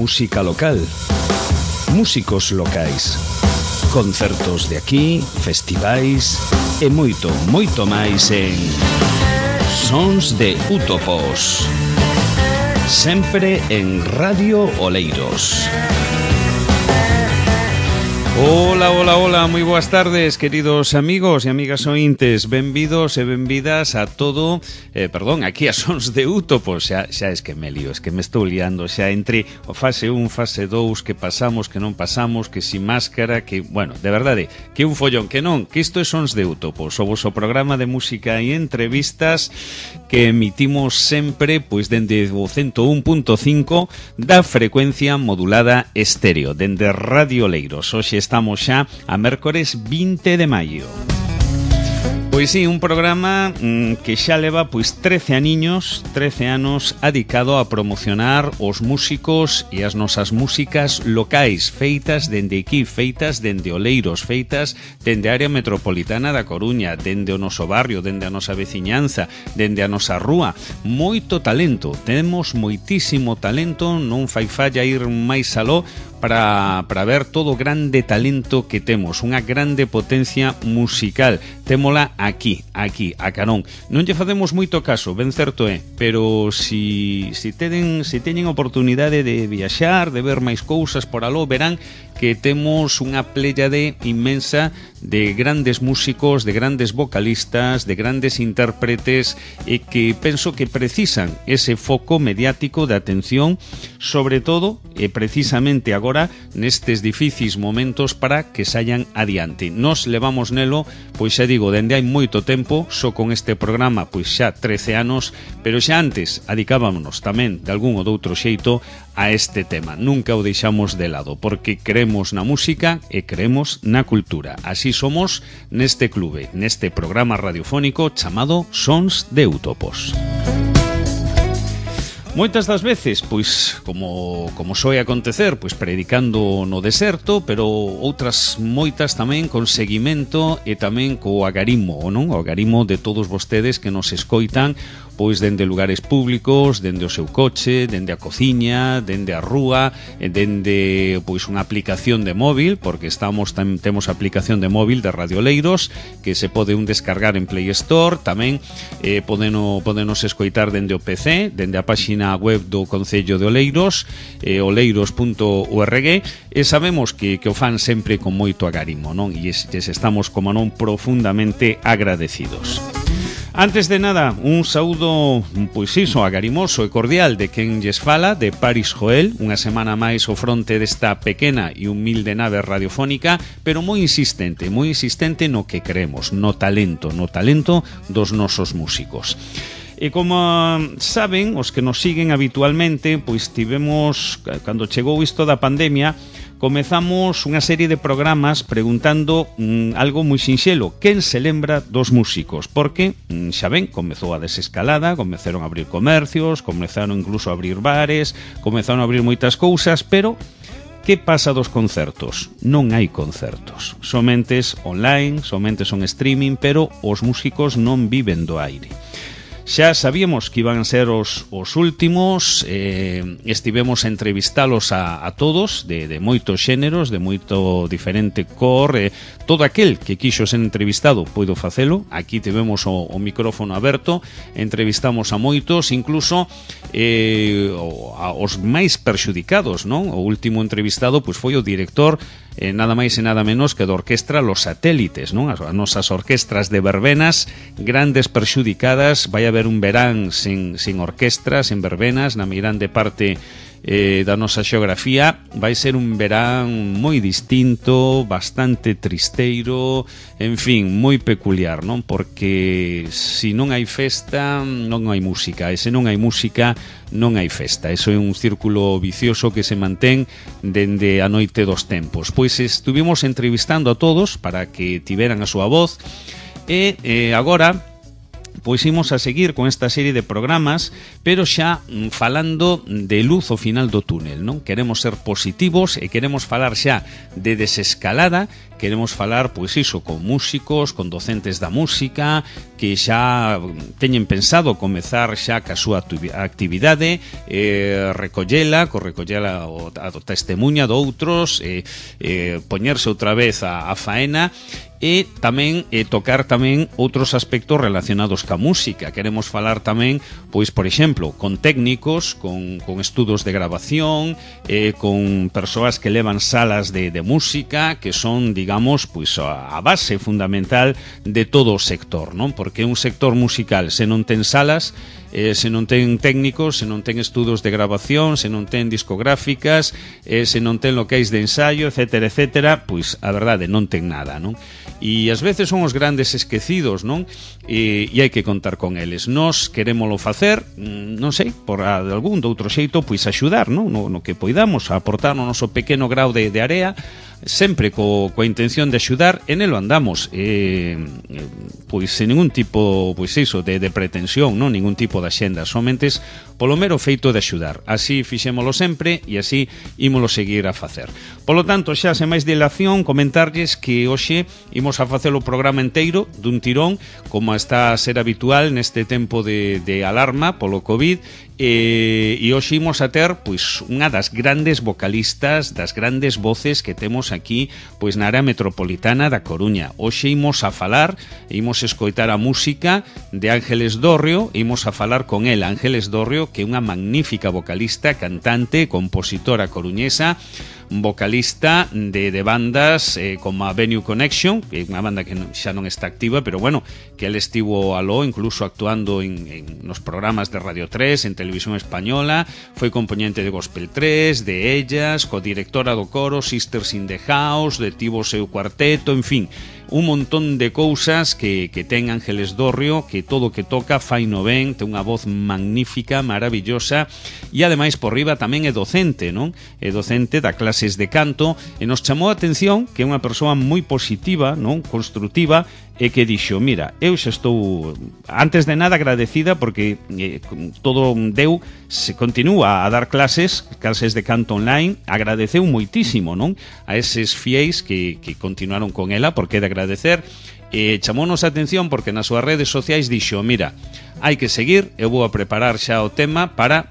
música local, músicos locais, concertos de aquí, festivais e moito, moito máis en Sons de Útopos, sempre en Radio Oleiros. Hola, hola, hola, moi boas tardes, queridos amigos e amigas ointes. Benvidos e benvidas a todo, aquí a Sons de Útopos. Xa es que me lío, es que me estou liando xa entre o fase 1, fase 2, que pasamos, que non pasamos, que sin máscara, que, bueno, de verdade, que un follón, que non, que isto é Sons de Útopos, o voso programa de música e entrevistas que emitimos sempre, pois, dende o 101.5 da frecuencia modulada estéreo, dende Radio Oleiros. Hoxe estamos xa a mércores 20 de maio. Pois sí, un programa que xa leva pois 13 anos adicado a promocionar os músicos e as nosas músicas locais, feitas dende aquí, feitas dende Oleiros, feitas dende a área metropolitana da Coruña, dende o noso barrio, dende a nosa veciñanza, dende a nosa rúa. Moito talento, temos moitísimo talento, non fai falla ir máis aló para ver todo o grande talento que temos, unha grande potencia musical. Témola aquí, a carón. Non lle facemos moito caso, ben certo é, pero si teñen oportunidade de viaxar, de ver máis cousas por aló, verán que temos unha pléyade inmensa de grandes músicos, de grandes vocalistas, de grandes intérpretes e que penso que precisan ese foco mediático de atención, sobre todo e precisamente agora nestes difíciles momentos para que saian adiante. Nos levamos nelo, pois xa digo, dende hai moito tempo, só con este programa pois xa 13 anos, pero xa antes adicábamos tamén de algún ou doutro xeito a este tema. Nunca o deixamos de lado, porque creemos na música e creemos na cultura. Así somos neste clube, neste programa radiofónico chamado Sons de Útopos. Moitas das veces, pois, como soe acontecer, pois predicando no deserto, pero outras moitas tamén con seguimento e tamén co agarimo, non? O agarimo de todos vostedes que nos escoitan, pois dende lugares públicos, dende o seu coche, dende a cociña, dende a rúa, dende pois unha aplicación de móvil, porque temos a aplicación de móvil de Radio Oleiros que se pode descargar en Play Store, tamén podenos escoitar dende o PC, dende a páxina web do Concello de Oleiros, oleiros.org, e sabemos que o fan sempre con moito agarimo, non? E estamos, como non, profundamente agradecidos. Antes de nada, un saúdo, pois iso, agarimoso e cordial de quen lles fala, de Paris Joel, unha semana máis ao fronte desta pequena e humilde nave radiofónica, pero moi insistente no que creemos, no talento dos nosos músicos. E como saben, os que nos siguen habitualmente, pois tivemos, cando chegou isto da pandemia, comezamos unha serie de programas preguntando algo moi sinxelo: quen se lembra dos músicos? Porque, xa ven, comezou a desescalada, comezaron a abrir comercios, comezaron incluso a abrir bares, comezaron a abrir moitas cousas, pero que pasa dos concertos? Non hai concertos, somentes online, somentes son streaming, pero os músicos non viven do aire. Xa sabíamos que iban a ser os últimos, estivemos a entrevistalos a todos, de moitos xéneros, de moito diferente cor, todo aquel que quixo ser entrevistado poido facelo. Aquí tivemos o micrófono aberto, entrevistamos a moitos, incluso os máis perxudicados, non? O último entrevistado pois foi o director, nada máis e nada menos que da orquestra Los Satélites, non? As nosas orquestras de verbenas, grandes perxudicadas. Vai haber un verán sin orquestras, sin verbenas, na meirande parte da nosa xeografía. Vai ser un verán moi distinto, bastante tristeiro, en fin, moi peculiar, non? Porque se non hai festa, non hai música, e se non hai música, non hai festa. Eso é un círculo vicioso que se mantén dende a noite dos tempos. Pois estuvimos entrevistando a todos para que tiveran a súa voz, e agora pois imos a seguir con esta serie de programas, pero xa falando de luz ao final do túnel, non? Queremos ser positivos e queremos falar xa de desescalada, queremos falar, pois iso, con músicos, con docentes da música, que xa teñen pensado comezar xa ca súa actividade, recollela a testemunha de outros, poñerse outra vez a faena, e tamén tocar tamén outros aspectos relacionados ca música. Queremos falar tamén, pois, por exemplo, con técnicos, con estudos de grabación, con persoas que levan salas de música, que son, digamos, pois a base fundamental de todo o sector, non? Porque un sector musical, se non ten salas, se non ten técnicos, se non ten estudos de grabación, se non ten discográficas, se non ten locais de ensaio, etcétera, etcétera, pois a verdade non ten nada, non? E ás veces son os grandes esquecidos, non? E hai que contar con eles. Nós querémolo facer, non sei, por de algún de outro xeito, pois axudar, non? No que poidamos, a aportar o noso pequeno grau de area, sempre coa intención de axudar, e nelo andamos, pois sen ningún tipo, pois iso, de pretensión, non? Ningún tipo de axenda, somente polo mero feito de axudar. Así fixémolo sempre e así ímolo seguir a facer. Polo tanto, xa sen máis dilación, comentarlles que hoxe imos a facer o programa inteiro dun tirón, como está a ser habitual neste tempo de alarma polo COVID, e hoxe imos a ter, pois, unha das grandes vocalistas, das grandes voces que temos aquí, pois, na área metropolitana da Coruña. Hoxe imos a falar, imos escoitar a música de Ángeles Dorrio, imos a falar con ela, Ángeles Dorrio, que é unha magnífica vocalista, cantante, compositora coruñesa, vocalista de bandas como a Venue Connection, que é unha banda que xa non está activa, pero bueno, que ele estivo aló incluso actuando nos programas de Radio 3, en Televisión Española, foi componente de Gospel 3, de Ellas, codirectora do coro Sisters in the House, de tivo seu cuarteto, en fin, un montón de cousas que ten Ángeles Dorrio, que todo o que toca fai no ben, ten unha voz magnífica, maravillosa, e ademais por riba tamén é docente, non? É docente da clases de canto, e nos chamou a atención que é unha persoa moi positiva, non? Construtiva, e que dixo, mira, eu xa estou antes de nada agradecida porque todo deu, se continúa a dar clases de canto online, agradeceu moitísimo, non? A eses fiéis que continuaron con ela, porque é de agradecer, e chamounos a atención porque nas súas redes sociais dixo, mira, hai que seguir, eu vou a preparar xa o tema para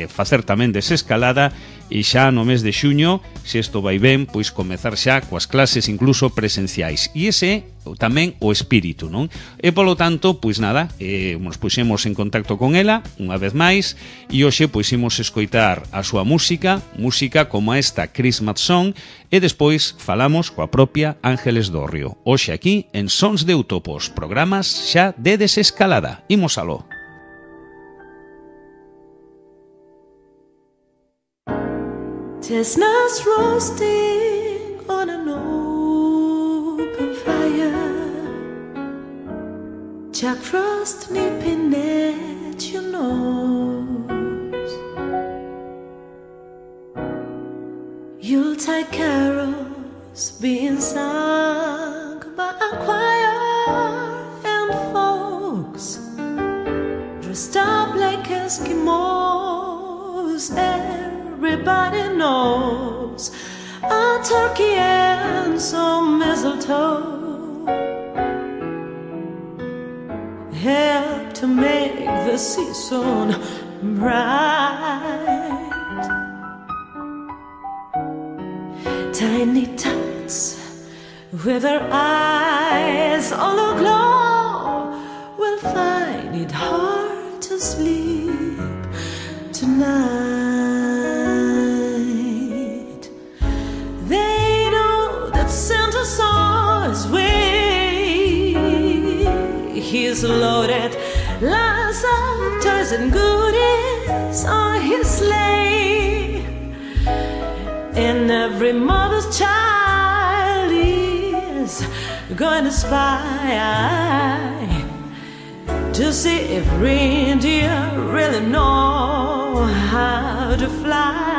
facer tamén desescalada, e xa no mes de xuño, se isto vai ben, pois comezar xa coas clases incluso presenciais. E ese tamén o espírito, non? E polo tanto, pois nada, nos puxemos en contacto con ela unha vez máis, e hoxe pois imos escoitar a súa música como esta Christmas Song, e despois falamos coa propia Ángeles Dorrio. Hoxe aquí en Sons de Utopos, programas xa de desescalada. Imos aló. Chestnuts roasting on an open fire, Jack Frost nipping at your nose, Yuletide carols being sung by a choir, and folks dressed up like Eskimos. Everybody knows a turkey and some mistletoe help to make the season bright. Tiny tots with their eyes all aglow will find it hard to sleep tonight. They know that Santa saw his way. He's loaded lots of toys and goodies on his sleigh, and every mother's child is going to spy to see if reindeer really know how to fly.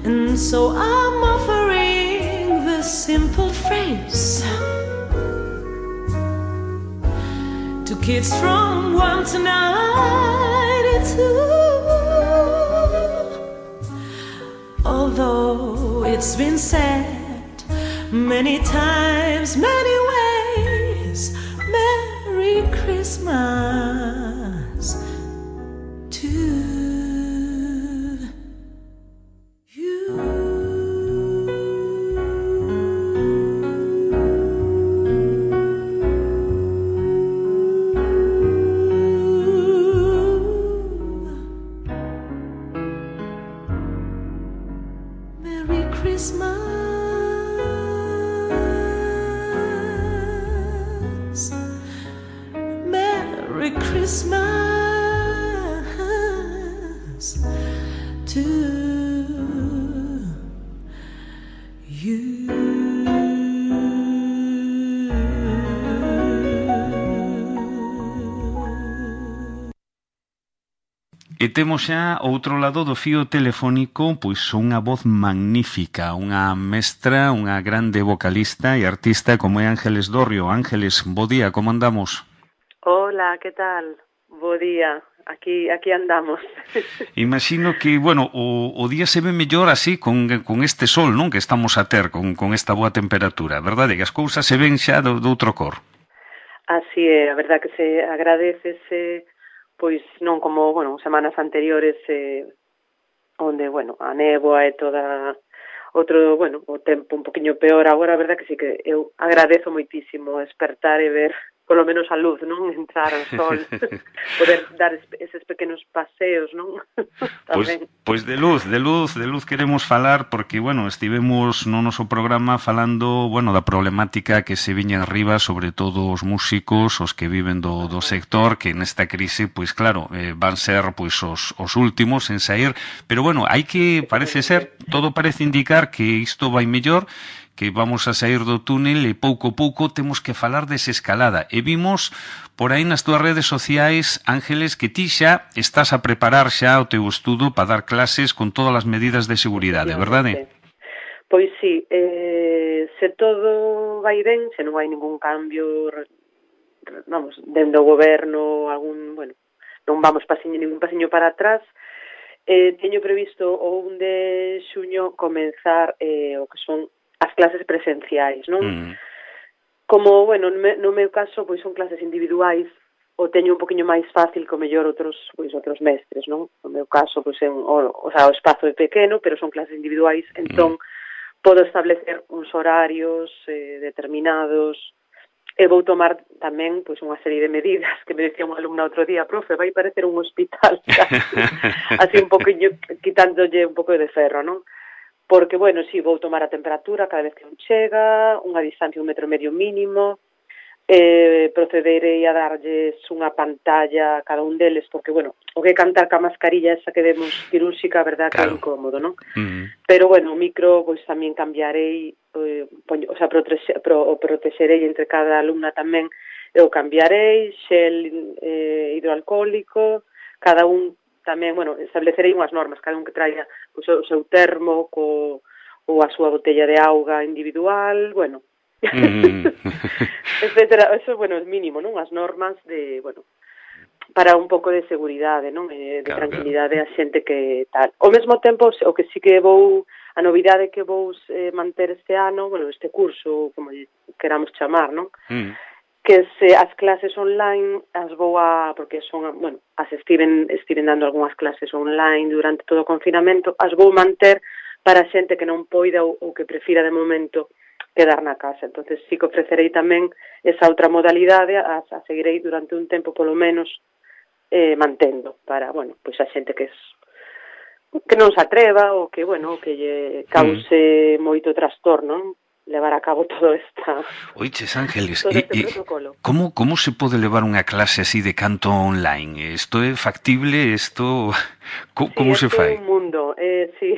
And so I'm offering this simple phrase to kids from 1 to 92. Although it's been said many times, many ways, Merry Christmas to you. Christmas, Merry Christmas to you. E temos xa ao outro lado do fío telefónico pois unha voz magnífica, unha mestra, unha grande vocalista e artista como é Ángeles Dorrio. Ángeles, bo día, como andamos? Hola, que tal? Bo día, aquí andamos. Imagino que, bueno, o día se ve mellor así con este sol, non? Que estamos a ter, con esta boa temperatura, verdade? Que as cousas se ven xa do outro cor. Así é, a verdad que se agradecese, pois non como, bueno, semanas anteriores onde, bueno, a néboa e toda outro, bueno, o tempo un poquinho peor. Agora, a verdad que sí que eu agradezo moitísimo despertar e ver polo menos a luz, non? Entrar ao sol, poder dar eses pequenos paseos, non? Pois de luz queremos falar porque, bueno, estivemos no noso programa falando, bueno, da problemática que se viña arriba, sobre todo os músicos, os que viven do sector, que nesta crise, pois claro, van ser pois os últimos en sair, pero bueno, hai que, parece ser, todo parece indicar que isto vai mellor, que vamos a sair do túnel e pouco a pouco temos que falar desescalada. E vimos por aí nas túas redes sociais, Ángeles, que ti xa estás a preparar xa o teu estudo para dar clases con todas as medidas de seguridade, verdade? Pois sí, se todo vai ben, se non hai ningún cambio, vamos, dende o goberno, algún, bueno, non vamos ningún pasiño para atrás, teño previsto o 1 de xuño comenzar o que son as clases presenciais, non? Como, bueno, no meu caso, pois son clases individuais, o teño un poquinho máis fácil que o mellor outros mestres, non? No meu caso, pois o espazo é pequeno, pero son clases individuais, entón podo establecer uns horarios determinados e vou tomar tamén pois unha serie de medidas que me decía unha alumna outro día, profe, vai parecer un hospital, así un poquinho, quitándolle un pouco de ferro, non? Porque, bueno, si vou tomar a temperatura cada vez que un chega, unha distancia 1,5 metros mínimo, procederei a darlles unha pantalla a cada un deles, porque, bueno, o que cantar ca mascarilla esa que demos quirúrxica, a verdad que é incómodo, non? Pero, bueno, o micro, pois tamén cambiarei, o sea, protexerei entre cada alumna tamén, eu cambiarei, xel hidroalcohólico, cada un tamén, bueno, establecerei unhas normas, cada un que traiga o seu termo ou a súa botella de auga individual, bueno, etcétera. Eso, bueno, é mínimo, non? As normas de, bueno, para un pouco de seguridade, non? De tranquilidade a xente que tal. Ao mesmo tempo, o que sí que a novidade que vou manter este ano, bueno, este curso, como queramos chamar, non? Que as clases online as vou porque son, bueno, estiven dando algunhas clases online durante todo o confinamento, as vou manter para a xente que non poida ou que prefira de momento quedar na casa. Entonces sí que ofrecerei tamén esa outra modalidade, a seguirei durante un tempo polo menos mantendo para, bueno, pois a xente que non se atreva ou que, bueno, que lle cause moito trastorno, levar a cabo todo esta... Oiches, Ángeles, como se pode levar unha clase así de canto online? Isto é factible? Isto... Como se fai? É un mundo, sí.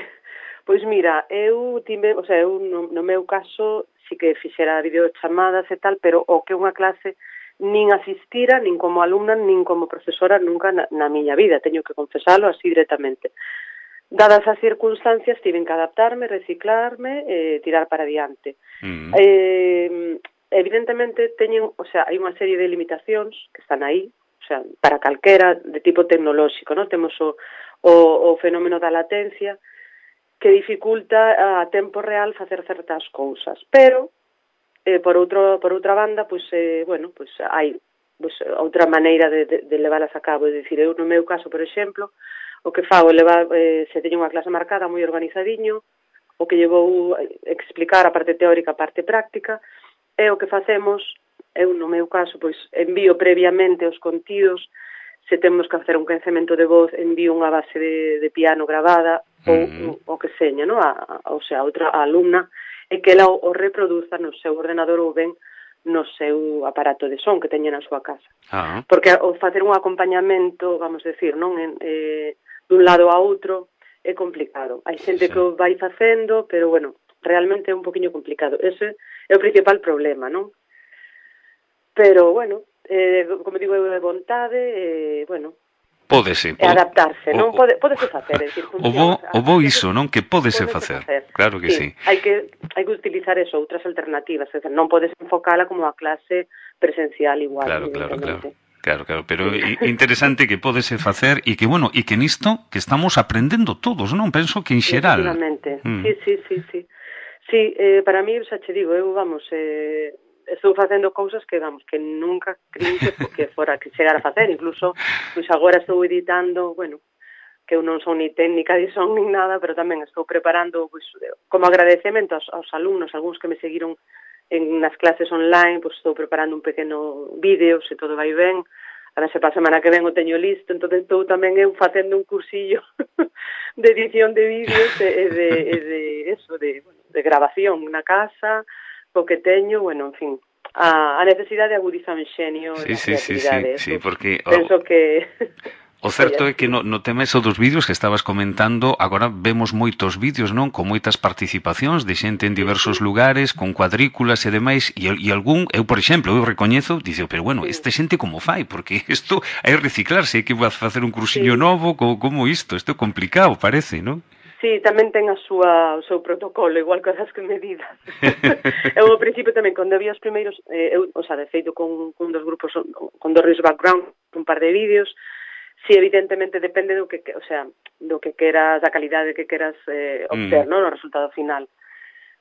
Pois mira, eu no meu caso sí que fixera videochamadas e tal, pero o que unha clase nin asistira, nin como alumna, nin como profesora nunca na miña vida, teño que confesalo así directamente. Dadas as circunstancias, tiven que adaptarme, reciclarme e tirar para diante. evidentemente teñen, o sea, hai unha serie de limitacións que están aí, o sea, para calquera de tipo tecnolóxico, ¿no? Temos o fenómeno da latencia que dificulta a tempo real facer certas cousas, pero por outra banda, pois bueno, pois hai pois outra maneira de leválas a cabo, é dicir, eu no meu caso, por exemplo, o que fago é levar, se teño unha clase marcada moi organizadiño, o que lle vou explicar a parte teórica, a parte práctica, e o que facemos, eu no meu caso, pois envío previamente os contidos, se temos que facer un quencemento de voz, envío unha base de piano gravada, ou o que seña, no? O sea, outra alumna, e que ela o reproduza no seu ordenador ou ben no seu aparato de son que teña na súa casa. Porque o facer un acompañamento, vamos decir, non dun lado a outro, é complicado. Hai xente que o vai facendo, pero, bueno, realmente é un poquinho complicado. Ese é o principal problema, non? Pero, bueno, como digo, é vontade, bueno, Pódese. Adaptarse, non? Pódese facer, é dicir, funciona. O bo iso, non? Que pódese facer. Claro que sí. Hai que utilizar eso, outras alternativas, é dicir, non podes enfocala como a clase presencial igual. Claro, pero interesante que pódese facer e que, bueno, e que nisto que estamos aprendendo todos, non? Penso que en xeral. Efectivamente, sí. Sí, para mí, xa che digo, eu, vamos, estou facendo cousas que, vamos, que nunca creí que fora que chegar a facer, incluso, pois agora estou editando, bueno, que eu non son ni técnica de son ni nada, pero tamén estou preparando, pois, como agradecemento aos alumnos, algúns que me seguiron nas clases online, pois estou preparando un pequeno vídeo, se todo vai ben, a ver se para a semana que ven o teño listo, entón estou tamén eu facendo un cursillo de edición de vídeos de grabación na casa, o que teño, bueno, en fin, a necesidade de agudizar o enxenio e a creatividade. Sí, porque penso que o certo é que no tema eso dos vídeos que estabas comentando, agora vemos moitos vídeos, non? Con moitas participacións de xente en diversos lugares, con cuadrículas e demais, e algún, eu por exemplo, eu recoñezo, dice, pero bueno, esta xente como fai? Porque isto hai reciclarse, hai que facer un cursillo novo, como isto é complicado, parece, non? Sí, tamén ten o seu protocolo, igual que as que medidas. Eu ao principio tamén, cando había os primeiros, o sea, de feito con dos grupos, con dos Risk Background, un par de vídeos, sí, evidentemente depende do que, o sea, do que queras, da calidade que queras obter, non, no resultado final.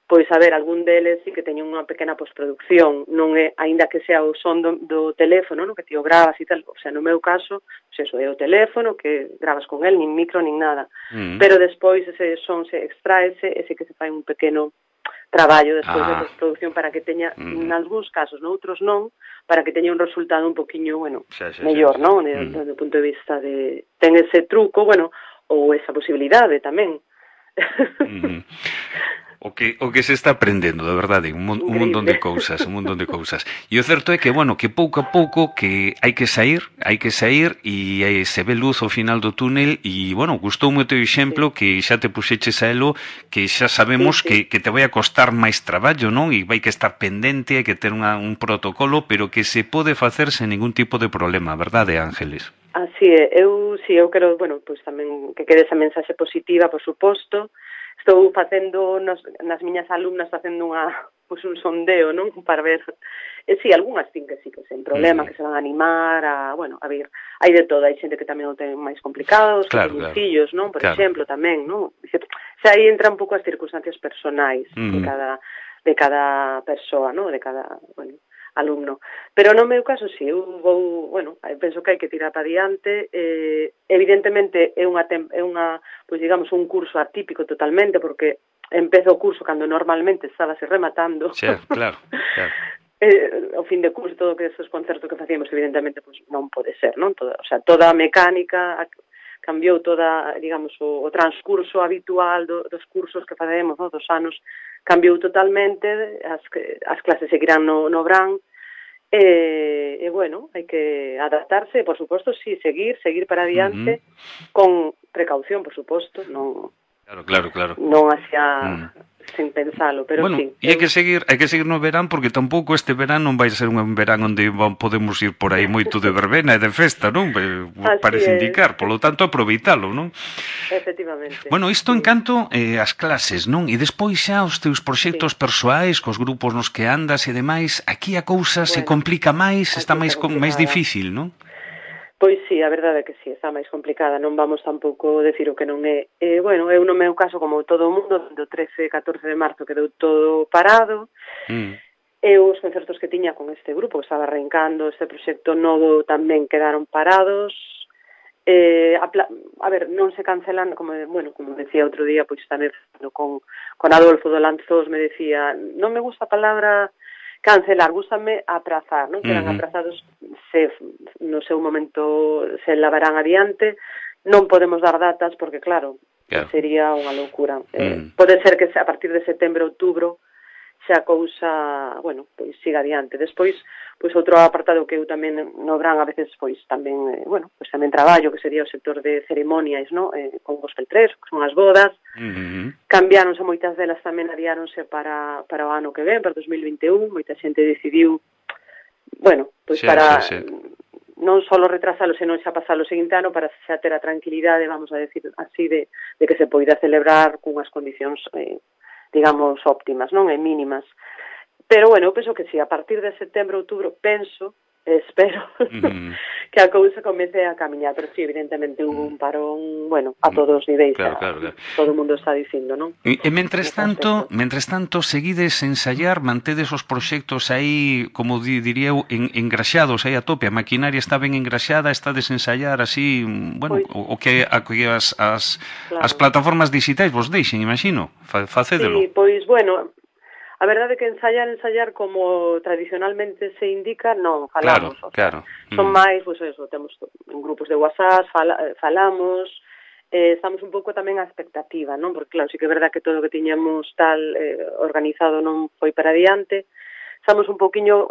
Pois, a ver, algún deles sí que teñen unha pequena postproducción, non é, aínda que sea o son do teléfono, no, que ti o gravas e tal, o sea, no meu caso, pois eso, é o teléfono, que gravas con el, nin micro, nin nada. Pero despois ese son se extraese, ese que se fai un pequeno traballo despois de postproducción para que teña, en algúns casos, noutros non, para que teña un resultado un poquinho, bueno, mellor, non? Desde o punto de vista de... Ten ese truco, bueno, ou esa posibilidade tamén. O que se está aprendendo, de verdade, un montón de cousas, E o certo é que, bueno, que pouco a pouco que hai que sair e se ve luz ao final do túnel e, bueno, gustoume o teu exemplo que xa te puxeches a elo, que xa sabemos que te vai a costar máis traballo, non? E vai que estar pendente, hai que ter un protocolo, pero que se pode facer sen ningún tipo de problema, verdade, Ángeles? Así é, eu quero, bueno, pois tamén que quede esa mensaxe positiva, por suposto. Estou facendo nas miñas alumnas facendo un sondeo, non? Para ver, si, algunhas sí que sen problema, que se van a animar a ver, hai de todo, hai xente que tamén o ten máis complicado, que ten fillos, non? Por exemplo, tamén, non? Xa aí entra un pouco as circunstancias personais de cada persoa, non? De cada, alumno. Pero no meu caso, si, eu vou, penso que hai que tirar para diante, evidentemente é unha, pois digamos, un curso atípico totalmente, porque empezo o curso cando normalmente estábase rematando. Sí, claro. O fin de curso, todo que esos concertos que facíamos, evidentemente, pois non pode ser, non? Toda a mecánica cambiou, toda, digamos, o transcurso habitual dos cursos que facemos, dos anos, cambiou totalmente, as clases seguirán no Bran, e bueno, hai que adaptarse, por suposto, sí, seguir para adiante, con precaución, por suposto, non... Claro. Non hacia sen pensalo, pero bueno, sí. E hai que seguir no verán, porque tampouco este verán non vai ser un verán onde podemos ir por aí moito de verbena e de festa, non? Parece indicar, polo tanto, aproveitalo, non? Efectivamente. Bueno, isto en canto as clases, non? E despois xa os teus proxectos persoais, cos grupos nos que andas e demais, aquí a cousa se complica máis, está máis difícil, non? Pois sí, a verdade é que sí, está máis complicada, non vamos tampouco decir o que non é. Bueno, eu no meu caso, como todo o mundo, do 13 e 14 de marzo quedou todo parado, e os concertos que tiña con este grupo, que estaba arrancando este proxecto novo, tamén quedaron parados. A ver, non se cancelan, como decía outro día, pois tamén con Adolfo do Lanzós me decía, non me gusta a palabra cancelar, gústame aprazar, non? Quedan aprazados, se no seu momento se lavarán adiante, non podemos dar datas porque, claro. Sería unha loucura. Pode ser que a partir de setembro, outubro, xa a cousa, pois siga adiante. Despois, pois outro apartado que eu tamén no verán a veces, pois tamén, pois tamén traballo, que sería o sector de ceremonias, non? Con Gospel 3, que son as bodas. Cambiáronse moitas delas, tamén adiáronse para o ano que ven, para 2021, moita xente decidiu, pois para non só retrasalo, senón xa pasalo o seguinte ano para xa ter a tranquilidade, vamos a decir así, de que se poida celebrar cunhas condicións digamos, óptimas, non? E mínimas. Pero, eu penso que si a partir de setembro, outubro, espero que a cousa comece a camiñar, pero sí, evidentemente hubo un parón, a todos os niveis, claro. Todo o mundo está dicindo, non? E mentres tanto, seguides ensayar, mantedes os proxectos aí, como diría eu, engraxados aí a tope, a maquinaria está ben engraxada, está desensayar así, o que as plataformas digitais vos deixen, imagino, facédelo. Sí, pois, a verdade é que ensayar como tradicionalmente se indica, non falamos. Claro. Son máis, pois eso, temos en grupos de WhatsApp, falamos, estamos un pouco tamén a expectativa, non? Porque claro, sí que é verdade que todo o que tiñamos tal organizado non foi para adiante. Estamos un pouquiño,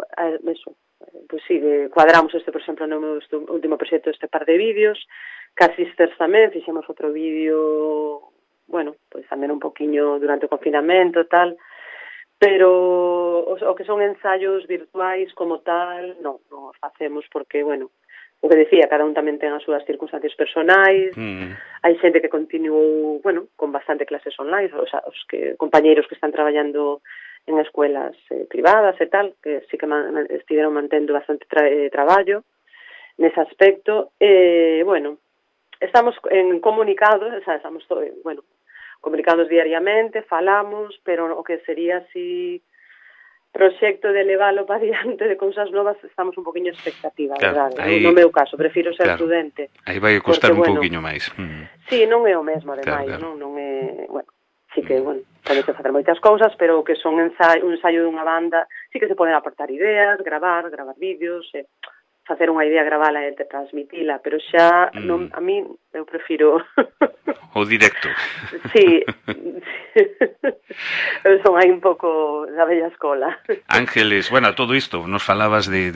pois sí, cuadramos por exemplo, no meu último proxecto este par de vídeos, Casisters tamén, fixemos outro vídeo, pois tamén un pouquiño durante o confinamento, tal. Pero o que son ensaios virtuais como tal, non os facemos porque, o que decía, cada un tamén ten as súas circunstancias personais, hai xente que continuou, con bastante clases online, os compañeiros que están traballando en escuelas privadas e tal, que sí que estiveron mantendo bastante traballo nese aspecto, estamos en comunicados, estamos comunicados diariamente, falamos, pero o que sería así proxecto de leválo para diante de cousas novas, estamos un poquinho expectativa, verdade? No meu caso, prefiro ser prudente. Aí vai costar un pouquiño máis. Sí, non é o mesmo, ademais, non é, sí que, pode facer moitas cousas, pero que son un ensaio dunha banda, sí que se poden aportar ideas, gravar vídeos, facer unha idea, gravala e transmitila, pero xa, a mí, eu prefiro... O directo. Sí, eu son aí un pouco da bella escola. Ángeles, todo isto, nos falabas de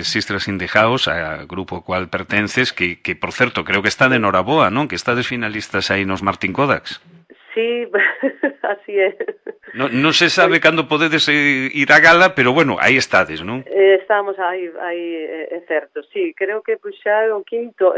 Sisters in the House, a grupo ao cual pertences, que por certo, creo que está de noraboa, non? Que estades finalistas aí nos Martín Kodaks. Sí, así é. Non se sabe cando podedes ir á gala, pero aí estades, non? Estamos aí, é certo, sí, creo que xa o quinto,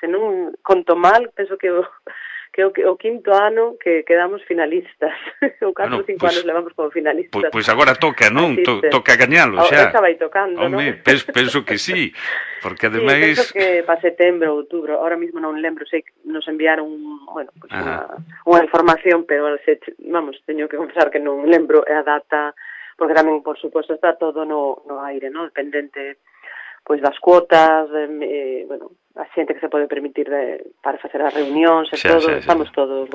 se non conto mal, penso que o quinto ano que quedamos finalistas, ou 4 ou 5 anos levamos como finalistas. Pois agora toca, non? Toca gañalo xa. Xa vai tocando, non? Penso que sí, porque ademais... Sí, penso que para setembro, outubro, ahora mismo non lembro, sei que nos enviaron unha información, pero teño que confesar que non lembro a data, porque tamén, por suposto, está todo no aire, non? Dependente pois das cuotas, a xente que se pode permitir para facer as reunións e todo, estamos todos,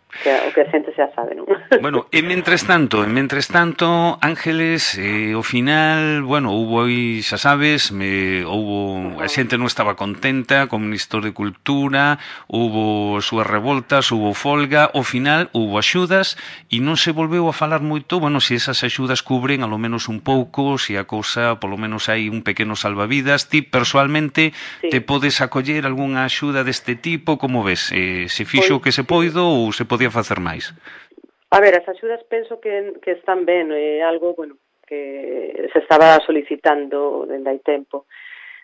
o que a xente xa sabe, non? E mentres tanto, Ángeles, ao final, houbo aí, xa sabes, a xente non estaba contenta co Ministro de Cultura, houbo súas revoltas, houbo folga, ao final houbo axudas e non se volveu a falar moito, se esas axudas cubren alo menos un pouco, se a cousa, polo menos hai un pequeno salvavidas. Ti, persoalmente, te podes acoller algunha axuda deste tipo, como ves? Se fixo o que se poido ou se podía facer máis? A ver, as axudas penso que están ben, é algo, bueno, que se estaba solicitando dende hai tempo.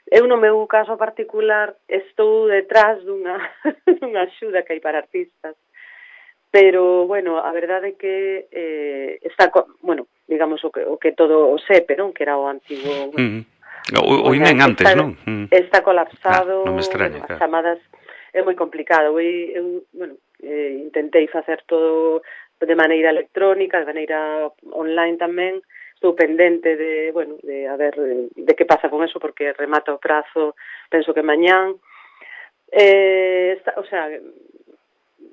Eu, no meu caso particular, estou detrás dunha, dunha axuda que hai para artistas, pero, bueno, a verdade é que está, bueno, digamos, o que todo o SEPE, non? Que era o antigo, bueno, o INEN antes, non? Está colapsado, non me extraña, bueno, as claro. chamadas é moi complicado. Eu bueno, intentei facer todo de maneira electrónica, de maneira online tamén. Estou pendente de, bueno, de a ver de que pasa con eso, porque remata o prazo, penso que mañán. O sea,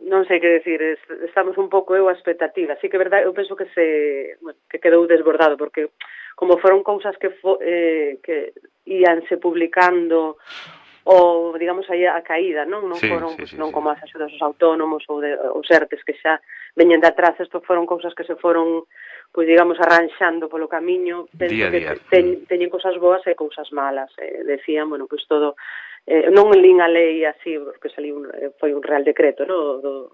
non sei que decir, estamos un pouco eu a expectativa. Sí que é verdade, eu penso que bueno, que quedou desbordado, porque como foron cousas que íanse publicando ou, digamos, aí a caída, non? Non foron, sí, non como as axudas aos autónomos ou os ERTES que xa veñen de atrás, isto foron cousas que se foron, pois, digamos, arranxando polo camiño. Penso que teñen cousas boas e cousas malas. Decían, bueno, pois todo, non lín a lei así, porque foi un real decreto, non?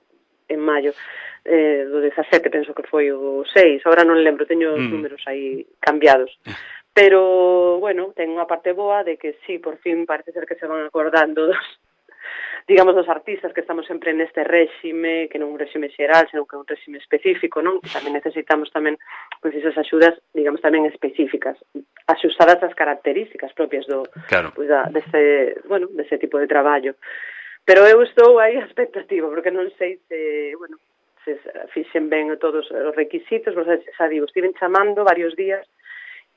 En maio do 17, penso que foi o 6, agora non lembro, teño os números aí cambiados. Pero, bueno, ten unha parte boa de que sí, por fin parece ser que se van acordando digamos, dos artistas que estamos sempre neste réxime, que non un réxime xeral, senón que é un réxime específico, non? Que tamén necesitamos tamén, pois, esas axudas, digamos, tamén específicas, axustadas ás características propias claro, pois, dese tipo de traballo. Pero eu estou aí a expectativa, porque non sei se, bueno, se fixen ben todos os requisitos, xa digo, estiven chamando varios días,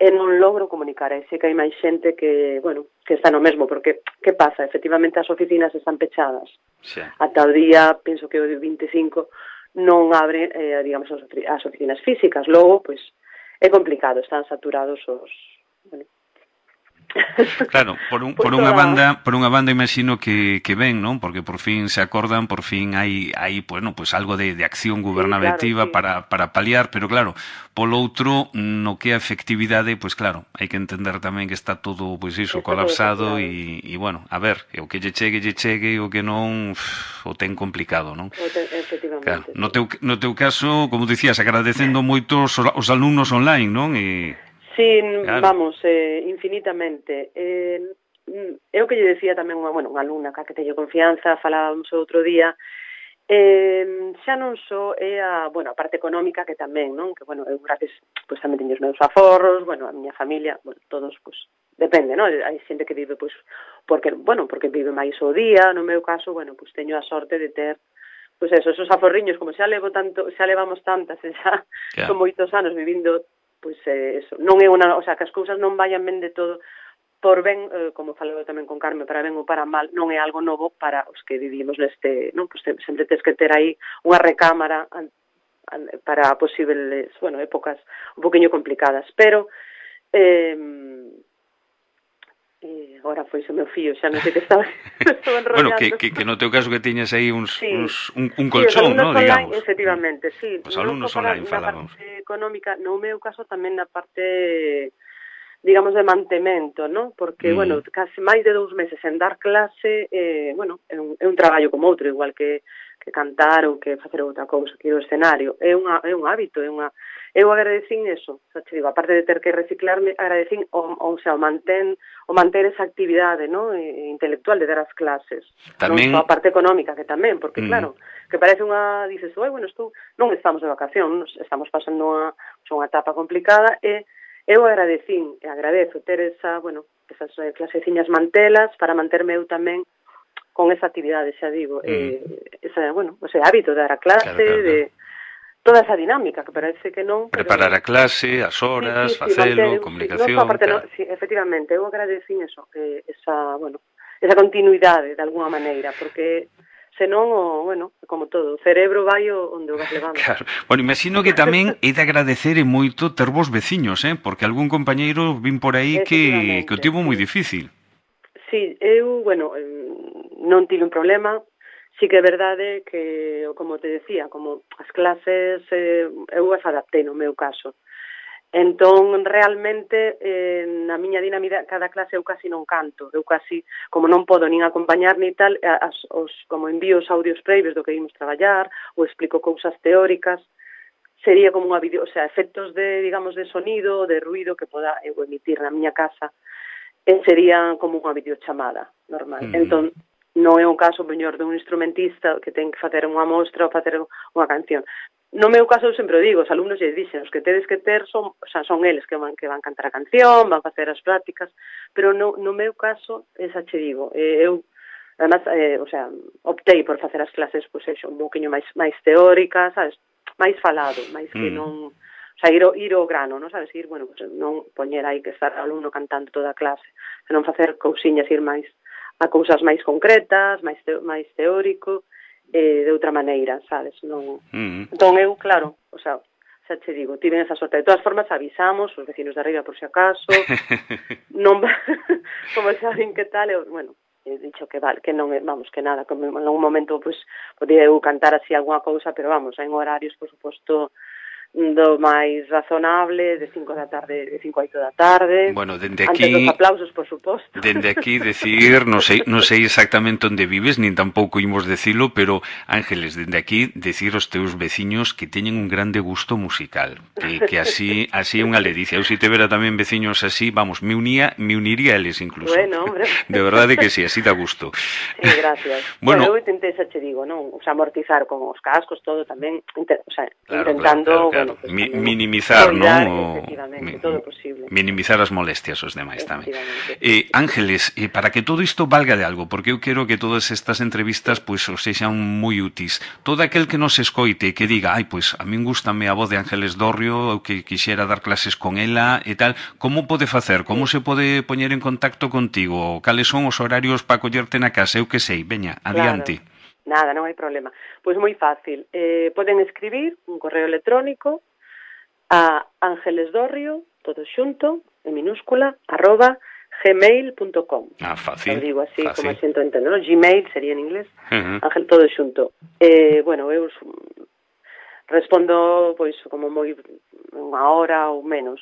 e non logro comunicar, e sei que hai máis xente que, bueno, que está no mesmo, porque, que pasa? Efectivamente, as oficinas están pechadas. Ata o día, penso que o 25, non abre, digamos, as oficinas físicas. Logo, pois, é complicado, están saturados os... Bueno, claro, por unha banda imagino que ven, non? Porque por fin se acordan, por fin hai bueno, pues algo de acción gubernativa, sí, claro, sí, para paliar, pero claro, polo outro, no que a efectividade, pues claro, hai que entender tamén que está todo, pues iso, colapsado e bueno, a ver, o que lle chegue, o que non o ten complicado, non? Efectivamente. Claro, no teu caso, como dicías, agradecendo moito os alumnos online, non? Sí, claro, vamos, infinitamente. Eu que lle decía tamén unha alumna que teño confianza, falábamos outro día, xa non só é a parte económica, que tamén, non? Que, bueno, eu gracias, pois tamén teño os meus aforros, bueno, a miña familia, bueno, todos, pois, depende, non? Hai xente que vive, pois, porque vive máis o día, no meu caso, bueno, pois teño a sorte de ter, pois eso, esos aforriños, como xa levamos tantas, xa son moitos anos vivindo, pois eso, non é o sea, que as cousas non vayan ben de todo, por ben, como falou tamén con Carmen, para ben ou para mal, non é algo novo para os que vivimos neste, non? Pois sempre tens que ter aí unha recámara para posibles, bueno, épocas un poquinho complicadas, pero agora foi o meu fío, xa non sei que estaba Bueno, enrollando. que no teu caso que tiñas aí un colchón, ¿no? Digamos. Efectivamente, sí. Os alumnos online falábamos. Na parte económica, no meu caso tamén na parte, digamos, de mantemento, ¿no? Porque, bueno, casi máis de 2 meses en dar clase, bueno, é un traballo como outro, igual que cantar ou que facer outra cousa aquí do escenario. É un hábito, eu agradecín eso, xa te digo, aparte de ter que reciclarme, agradecín o manter esa actividade, ¿no? Intelectual de dar as clases. Tamén... Non só a parte económica, que tamén, porque claro, que parece dices, bueno, non estamos de vacación, estamos pasando unha etapa complicada, e eu agradezo ter esas claseciñas mantelas para manterme eu tamén con esa actividade, xa digo, ese hábito de dar a clase, claro. De toda esa dinámica, que parece que non... Preparar a clase, as horas, facelo, comunicación... Sí, efectivamente, eu agradecín eso, esa continuidade, de alguna maneira, porque... senón, como todo, o cerebro vai onde o vas levando. Claro. Bueno, imagino que tamén é de agradecer e moito ter vos veciños, porque algún compañeiro vin por aí que o tivo moi difícil. Sí, eu, non tive un problema, sí que é verdade que, como te decía, como as clases, eu as adaptei no meu caso. Entón, realmente, na miña dinámica, cada clase eu casi non canto. Eu casi, como non podo nin acompañar ni tal, como envío os audios previos do que ímos traballar, ou explico cousas teóricas, sería como unha video, o sea, efectos de, digamos, de sonido, de ruido que poda eu emitir na miña casa, sería como unha videochamada normal. Entón, non é un caso, mellor, de un instrumentista que ten que facer unha mostra ou facer unha canción. No meu caso, eu sempre o digo, os alumnos lle dixen, os que tedes que ter son, o sea, son eles que van cantar a canción, van facer as prácticas, pero no meu caso, esa che digo, eu además, o sea, optei por facer as clases, pois, un pouquinho máis teóricas, sabes, máis falado, máis que non, o sea, ir ao grano, non sabes, ir, bueno, pues, non poñer aí que estar o alumno cantando toda a clase, senón facer cousiñas, ir máis a cousas máis concretas, máis teórico, de outra maneira, sabes, non... Entón eu, claro, o sea, xa che digo, tiven esa sorte. De todas formas, avisamos os vecinos de arriba por si acaso, non como saben que tal, eu, bueno, he dicho que vale, que non, vamos, que nada, que en algún momento, pues, podía eu cantar así alguna cousa, pero vamos, en horarios, por suposto, do máis razonable, de 5 da tarde, de 5 a 8 da tarde. Bueno, dende aquí, antes dos aplausos, por suposto. Dende aquí decir, non sei exactamente onde vives, nin tampouco imos decilo, pero Ángeles, dende aquí decir aos teus veciños que teñen un grande gusto musical, que así é unha ledicia. Eu se tivera tamén veciños así, vamos, me uniría a eles incluso. Bueno, hombre. De verdade que sí, así dá gusto. Sí, gracias. Bueno, eu intentei, xa che digo, non, o sea, amortizar con os cascos, todo tamén, o sea, claro, intentando, claro. Bueno, pues, minimizar, non? Efectivamente, todo posible. Minimizar as molestias aos demais tamén. Ángeles, para que todo isto valga de algo, porque eu quero que todas estas entrevistas pois os sexan moi úteis. Todo aquel que nos escoite que diga, pois a min gústame a voz de Ángeles Dorrio, ou que quixera dar clases con ela e tal, como pode facer? Como se pode poñer en contacto contigo? Cales son os horarios para collerte na casa? Eu que sei, veña, adiante. Claro. Nada, non hai problema. Pois moi fácil. Poden escribir un correo electrónico a angelesdorrio, todo xunto, en minúscula, @gmail.com. Fácil. Lo digo así, fácil. como asiento entender, ¿no? Gmail sería en inglés. Ángel, todo xunto. Bueno, eu respondo, pois, como moi unha hora ou menos.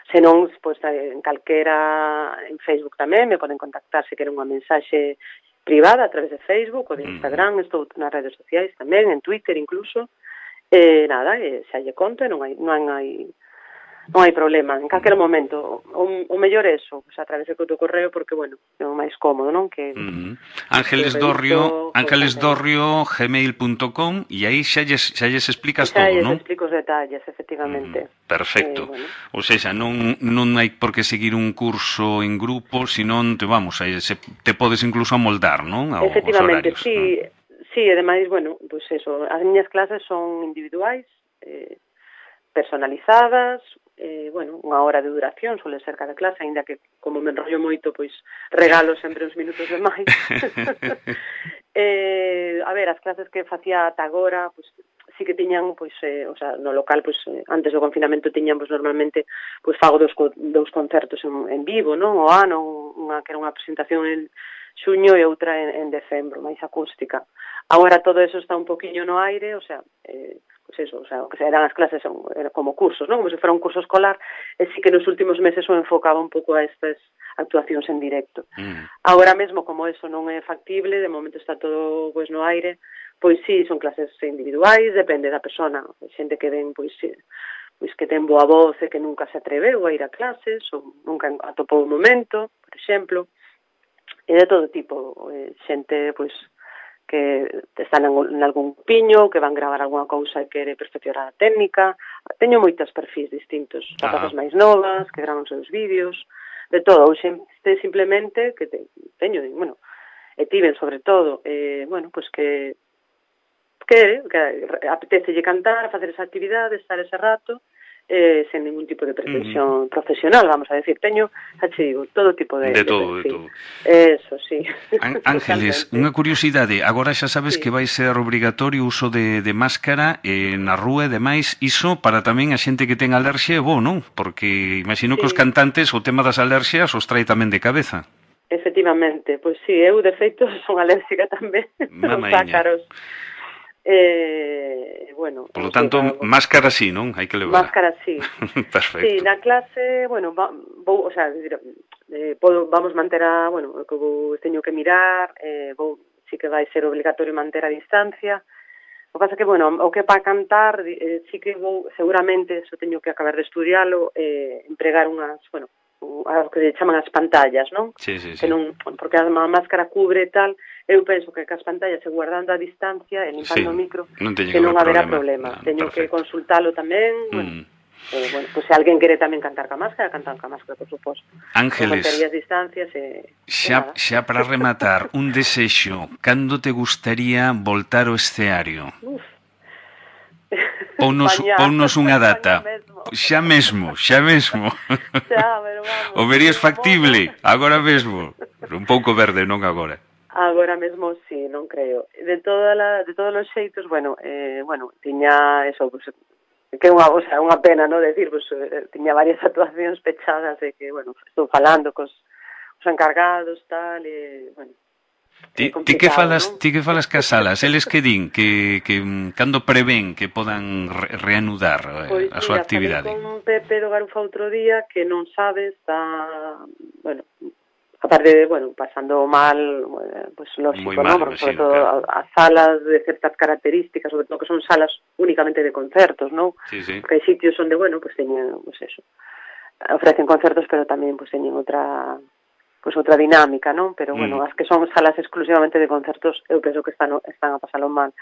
Se non, pois, en calquera, en Facebook tamén, me poden contactar se queren unha mensaxe privada a través de Facebook ou de Instagram, estou nas redes sociais tamén, en Twitter incluso. Nada, xa lle conto, non hai problema, en calquer momento. O mellor é eso, pues, a través do correo, porque, bueno, é o máis cómodo, non? Que Ángeles Dorrio, gmail.com, e aí xa lles explicas todo, non? Xa lles explico os detalles, efectivamente. Perfecto. Ou seja, non hai por que seguir un curso en grupo, senón te podes incluso amoldar, non? Efectivamente, sí, e ademais, bueno, pues eso, as miñas clases son individuais, personalizadas, bueno, unha hora de duración, suele ser cada clase, aínda que como me enrollo moito, pois regalo sempre uns minutos de máis. A ver, as clases que facía ata agora, pois sí que tiñan, pois, o sea, no local, pois, antes do confinamento tiñan, pois, normalmente, pois, fago dous concertos en vivo, non? O ano, unha que era unha presentación en xuño e outra en decembro, máis acústica. Agora todo eso está un poquinho no aire, o sea, pues eso, o sea, que eran as clases como cursos, non? Como se fora un curso escolar, e sí que nos últimos meses o enfocaba un pouco a estas actuacións en directo. Agora mesmo, como eso non é factible, de momento está todo, pois, no aire, pois sí, son clases individuais, depende da persona, xente que ven, pois que ten boa voz e que nunca se atreveu a ir a clases, ou nunca atopou o momento, por exemplo, e de todo tipo, xente, pois, que están en algún piño, que van gravar alguna cousa e quere perfeccionar a técnica. Teño moitos perfis distintos, rapazas máis novas, que gravan os seus vídeos, de todo, ou xente simplemente que teño, bueno, e tiven sobre todo, bueno, pois que apetecelle cantar, facer esa actividade, estar ese rato, sen ningún tipo de pretensión profesional, vamos a decir. Teño, xa che digo, todo tipo de todo. Eso, sí. Ángeles, unha curiosidade, agora xa sabes que vai ser obrigatorio o uso de máscara na rúa e demais, iso para tamén a xente que ten alerxia é bo, non? Porque imagino que os cantantes o tema das alerxias os trae tamén de cabeza. Efectivamente, pois sí, eu de feito son alérxica tamén aos ácaros. Bueno, por lo tanto, máscara sí, non? Hai que levar. Máscara sí. Perfecto. Sí, na clase, bueno, vou, o sea, vamos manter bueno, o que teño que mirar, sí que vai ser obligatorio manter a distancia, O que pasa que, bueno, o que para cantar, sí que vou, seguramente, eso teño que acabar de estudialo, empregar unhas, bueno, o que se chaman as pantallas, non? Sí, sí, Que sí. non, porque a máscara cubre e tal, eu penso que as pantallas, se guardando a distancia e limpando o micro, non teño que non haber haberá problema. problema. Teño que Perfecto. consultalo tamén, bueno, bueno, pues se alguén quere tamén cantar ca máscara, cantar ca máscara, por suposto. Ángeles, Mantería as distancias xa para rematar, un desexo, cando te gustaría voltar ao escenario? Pounos unha data. Xa mesmo. Xa, pero vamos. O verías factible agora mesmo? Un pouco verde, non agora. Agora mesmo sí, non creo. De todos os xeitos, bueno, tiña eso, pues, que o sea, unha pena, no decir, pues, tiña varias actuacións pechadas de que, bueno, estou falando cos encargados, tal, e, bueno, Ti que falas cas salas? Eles que din que cando prevén que podan reanudar a súa actividade? Pois mira, falei con Pepe do Garufa outro día que non sabe, está, bueno, aparte de, bueno, pasando mal, pues lógico, ¿no? Porque sobre todo as salas de certas características, sobre todo que son salas únicamente de concertos, ¿no? Sí, sí. Porque hai sitios onde, bueno, pues teñen, pues eso, ofrecen concertos, pero tamén pues teñen outra dinámica, non? Pero, bueno, as que son salas exclusivamente de concertos, eu penso que están a pasalo mal.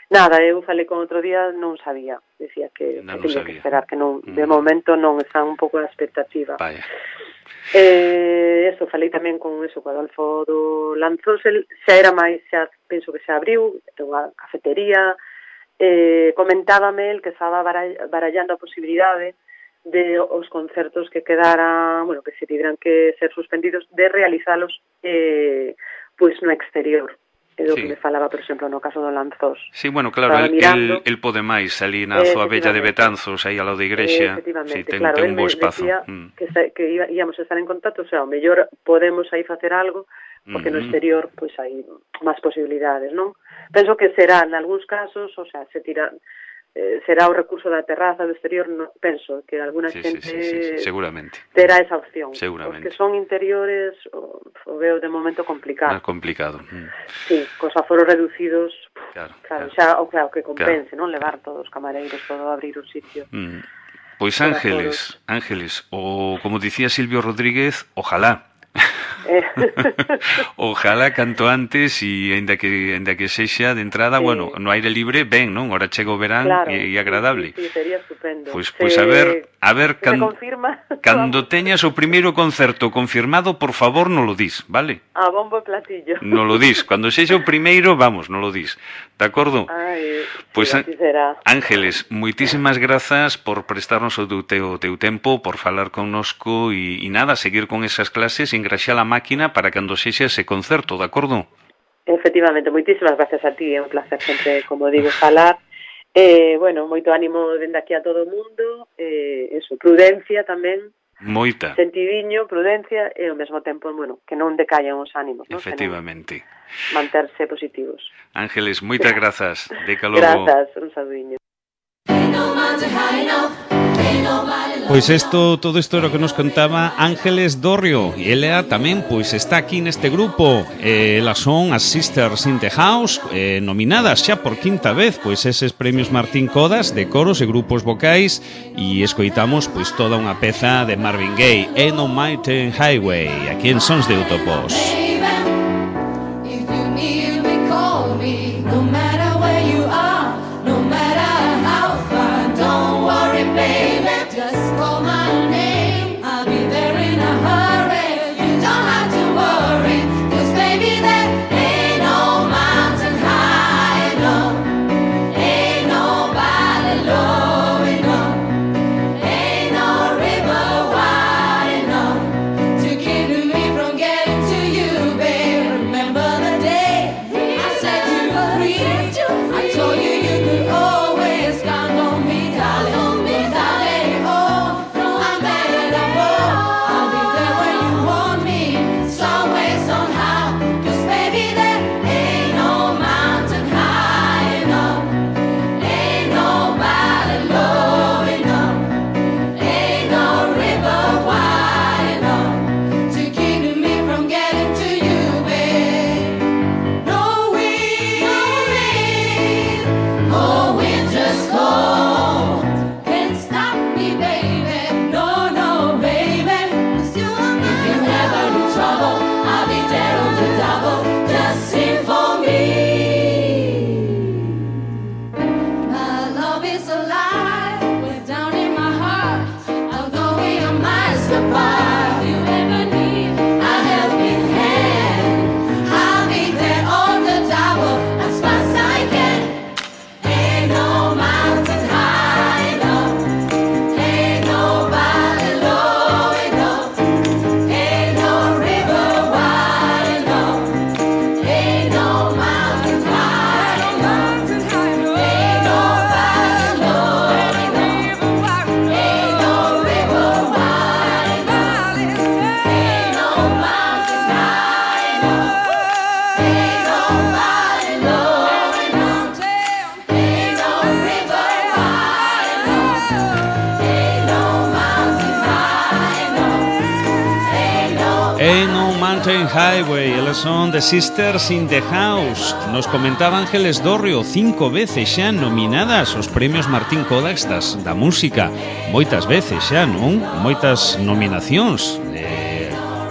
Nada, eu falei con outro día, non sabía. Decía que tiña que esperar, que non, de momento non, están un pouco a expectativa. Vaya. Eso, falei tamén con eso, co Adolfo do Lanzós, xa era máis, xa penso que xa abriu, unha cafetería, comentábame el que estaba barallando a posibilidade de os concertos que quedaran, bueno, que se tiveran que ser suspendidos, de realizalos pois no exterior. É do que me falaba, por exemplo, no caso do Lanzós. Sí, bueno, claro, el pode máis ali na Zoa Bella de Betanzos, aí ao lado da igrexa, efectivamente, ten claro, un bo espazo. Decía que íamos a estar en contacto, o sea, o mellor podemos aí facer algo, porque no exterior pois hai máis posibilidades, non? Penso que será, en algúns casos, o sea, será o recurso da terraza do exterior, no, penso que alguna xente seguramente terá esa opción. Seguramente. Os que son interiores o veo de momento complicado. Máis complicado. Sí, cos aforos reducidos, claro, xa o que compense, non levar todos os camareiros, todo abrir o sitio. Pois Ángeles, o como dicía Silvio Rodríguez, ojalá. Ojalá canto antes e ainda que sexa de entrada, bueno, no aire libre, ben, non? Ora chega o verán e agradable. Sí, sería estupendo. Pois a ver cando teñas o primeiro concerto confirmado, por favor, non lo dis, vale? A bombo e platillo. Non lo dis, cando sexa o primeiro, vamos, non lo dis. De acordo? Pois Ángeles, moitísimas grazas por prestarnos o teu tempo, por falar connosco e nada, seguir con esas clases e engraxar a máquina para cando sexa ese concerto, de acordo? Efectivamente, moitísimas gracias a ti, é un placer sempre, como digo, falar. Bueno, moito ánimo dende aquí a todo o mundo, eso, prudencia tamén. Moita. Sentidiño, prudencia e ao mesmo tempo, bueno, que non decaian os ánimos, non? Efectivamente. Manterse positivos. Ángeles, moitas grazas. Deca logo. Grazas, un saludiño. Pois todo isto era o que nos contaba Ángeles Dorrio e ela tamén pois está aquí neste grupo. Elas son as Sisters in the House, nominadas xa por quinta vez pois eses premios Martín Codas de coros e grupos vocais, e escoitamos pois toda unha peza de Marvin Gaye, Ain't No Mountain Highway, aquí en Sons de Utopos. To keep me from getting to you. Mountain Highway, elas son The Sisters in the House. Nos comentaba Ángeles Dorrio, 5 veces xa nominadas aos premios Martín Kodax da música. Moitas veces xa, non? Moitas nominacións.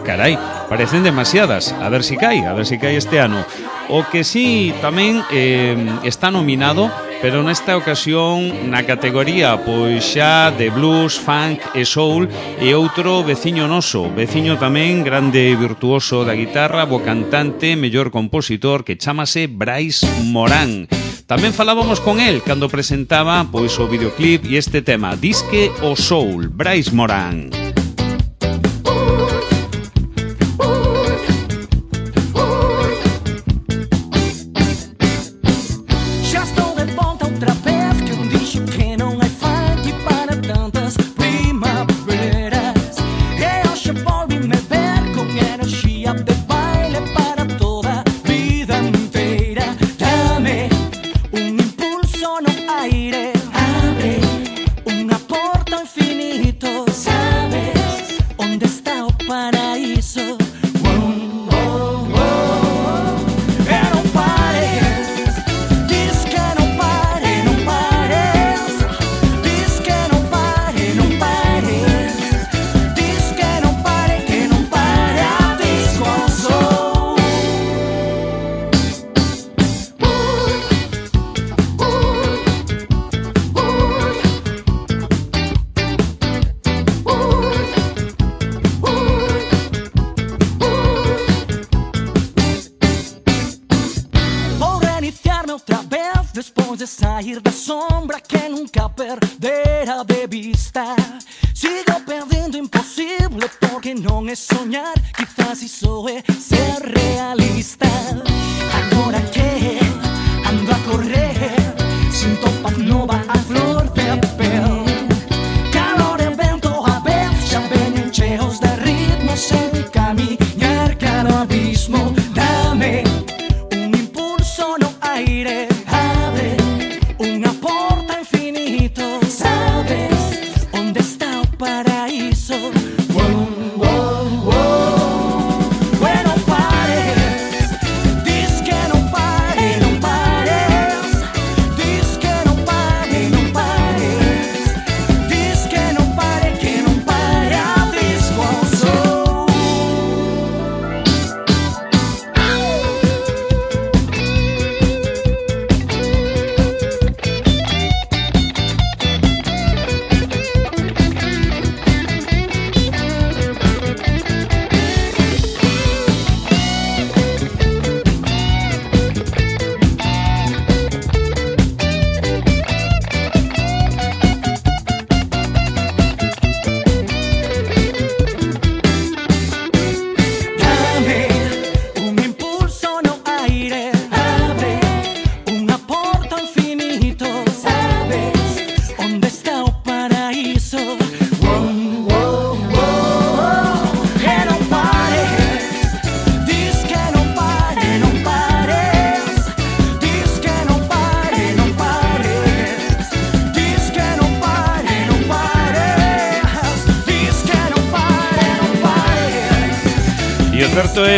Carai, parecen demasiadas. A ver si cae este ano. O que sí tamén está nominado, pero nesta ocasión na categoría pois xa de blues, funk e soul, e outro veciño noso, veciño tamén grande e virtuoso da guitarra, bo cantante, mellor compositor, que chámase Brais Morán. Tamén falábamos con el cando presentaba pois o videoclip e este tema, Disque o Soul, Brais Morán.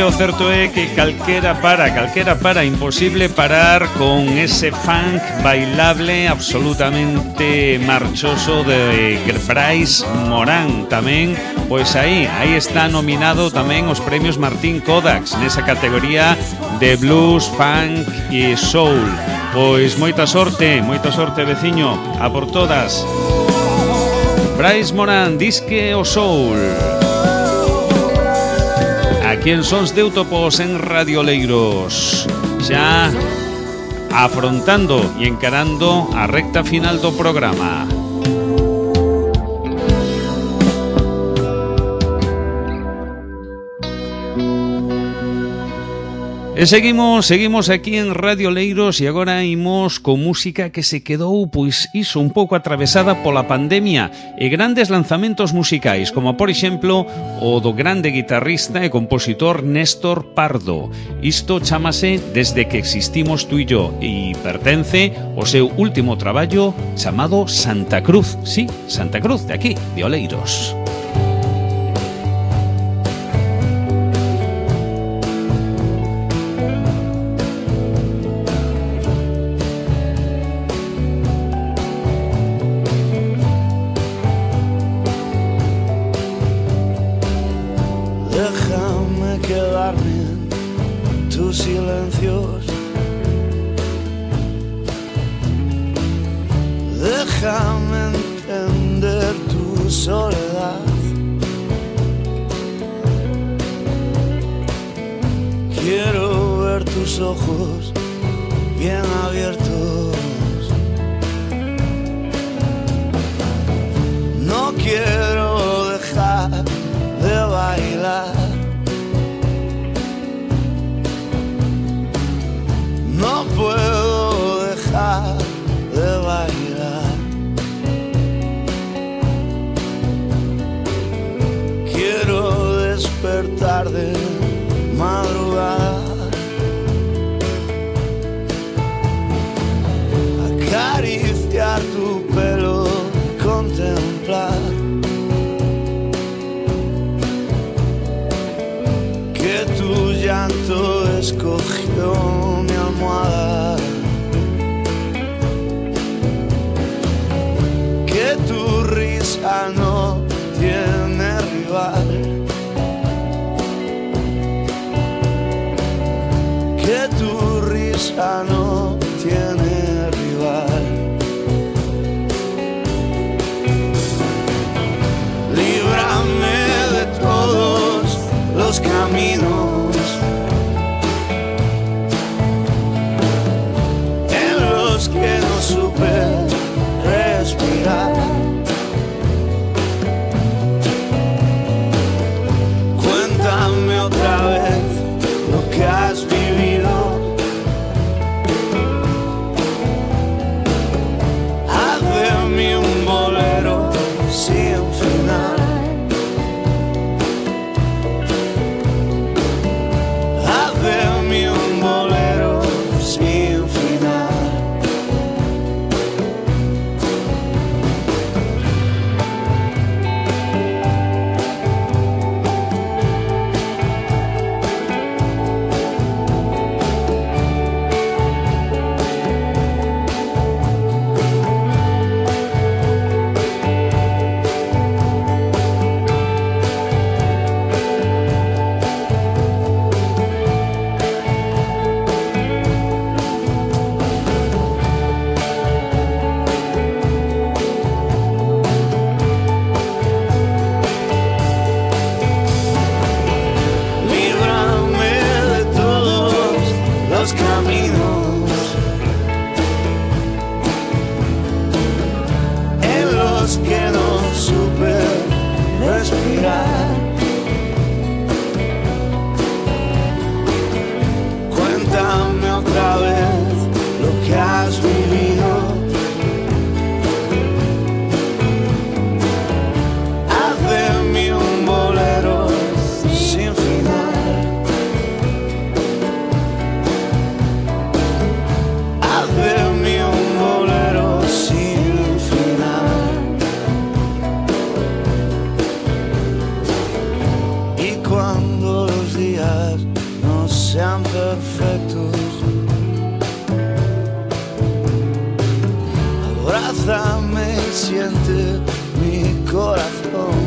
O certo é que calquera para, imposible parar con ese funk bailable absolutamente marchoso de Brais Morán. Tamén, pois aí está nominado tamén os premios Martín Kodax nesa categoría de blues, funk e soul. Pois moita sorte, veciño, a por todas. Brais Morán, Disque o Soul. Aquí en Sons de Útopos en Radio Leiros, xa afrontando e encarando a recta final do programa. E seguimos aquí en Radio Leiros e agora imos con música que se quedou, pois iso, un pouco atravesada pola pandemia e grandes lanzamentos musicais, como por exemplo o do grande guitarrista e compositor Néstor Pardo. Isto chámase Desde que existimos tú e yo e pertence ao seu último traballo chamado Santa Cruz. Sí, Santa Cruz, de aquí, de Oleiros. tus silencios. Déjame entender tu soledad. Quiero ver tus ojos bien abiertos. No quiero dejar de bailar. No puedo dejar de bailar. Quiero despertar de madrugada, acariciar tu pelo, contemplar que tu llanto escogió mi almohada, que tu risa no tiene rival, que tu risa no tiene rival. Líbrame de todos los caminos en los que no supe respirar. Cuéntame otra vez lo que has vivido. Haz de mí un bolero sin final. Haz de mí un bolero sin final. Líbrame de todos los caminos en los que no supe respirar. Cuéntame otra vez lo que has vivido. Haz de mí un bolero sin final. Haz de mí un bolero sin final. Y cuando los días no sean perfectos, abrázame y siente mi corazón,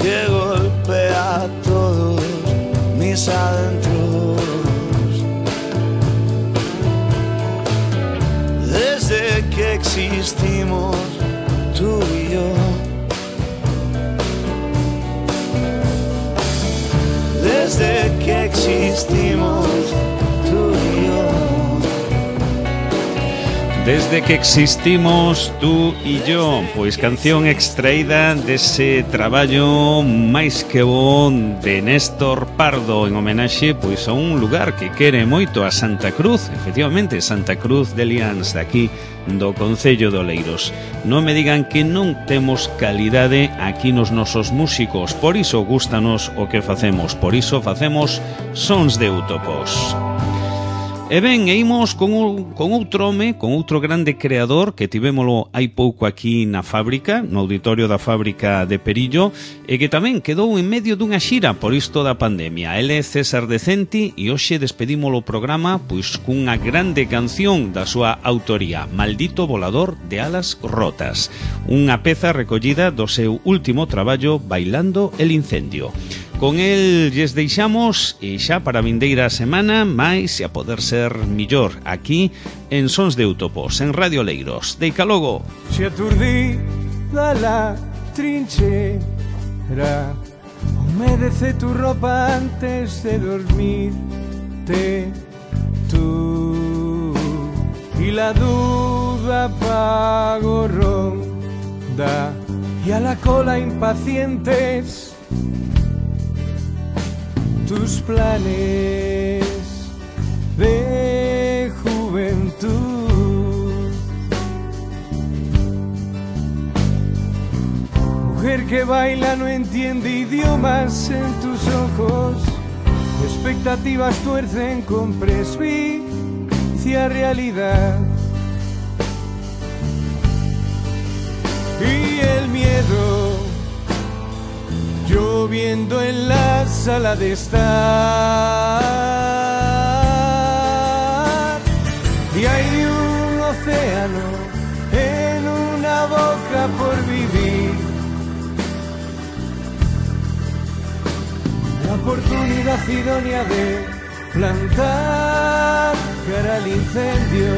que golpea todos mis adentros. Desde que existimos tú y yo, desde que existimos tú y yo. Desde que existimos tú e yo, pois canción extraída dese traballo máis que bon de Néstor Pardo en homenaxe pois a un lugar que quere moito, a Santa Cruz, efectivamente, Santa Cruz de Liáns, daqui do Concello de Oleiros. Non me digan que non temos calidade aquí nos nosos músicos, por iso gústanos o que facemos, por iso facemos Sons de Útopos. E ben, e imos con outro home, con outro grande creador que tivémolo hai pouco aquí na fábrica, no auditorio da fábrica de Perillo, e que tamén quedou en medio dunha xira por isto da pandemia. Ele é César Decenti e hoxe despedímolo o programa pois cunha grande canción da súa autoría, Maldito volador de alas rotas, unha peza recollida do seu último traballo, Bailando el incendio. Con el lles deixamos e xa para a vindeira semana máis e a poder ser millor aquí en Sons de Útopos, en Radio Leiros. Deica logo. Se aturdida la trinchera, humedece tu ropa antes de dormirte tú, y la duda pago ronda y a la cola impacientes tus planes de juventud. Mujer que baila no entiende idiomas en tus ojos, expectativas tuercen con presbicia realidad. Y el miedo lloviendo en la sala de estar, y hay un océano en una boca por vivir, la oportunidad idónea de plantar cara al incendio,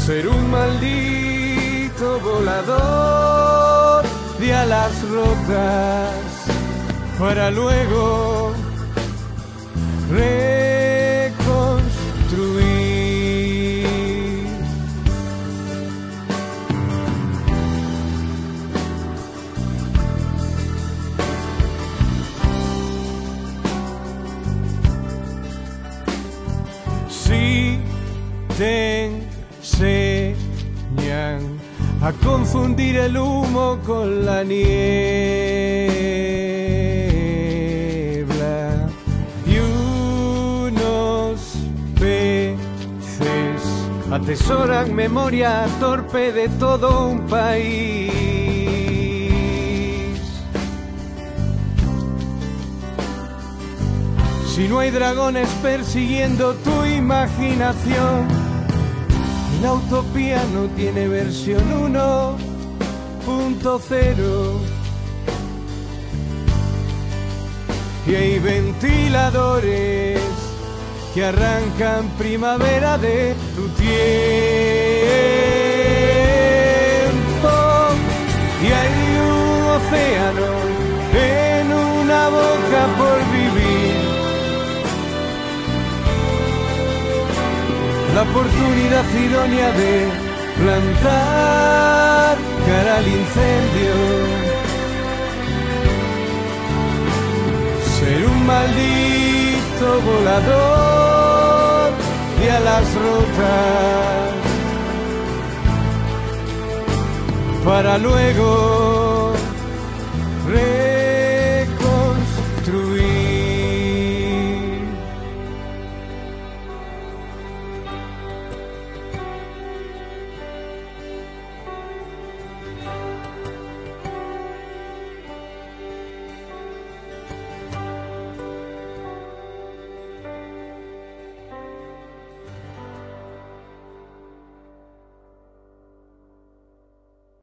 ser un maldito volador de alas rotas para luego reconstruir. Si te enseñan a confundir el humo con la niebla, y unos peces atesoran memoria torpe de todo un país. Si no hay dragones persiguiendo tu imaginación, la utopía no tiene versión 1.0, y hay ventiladores que arrancan primavera de tu tiempo, y hay un océano en una boca por vivir, la oportunidad idónea de plantar cara al incendio, ser un maldito volador de alas rotas para luego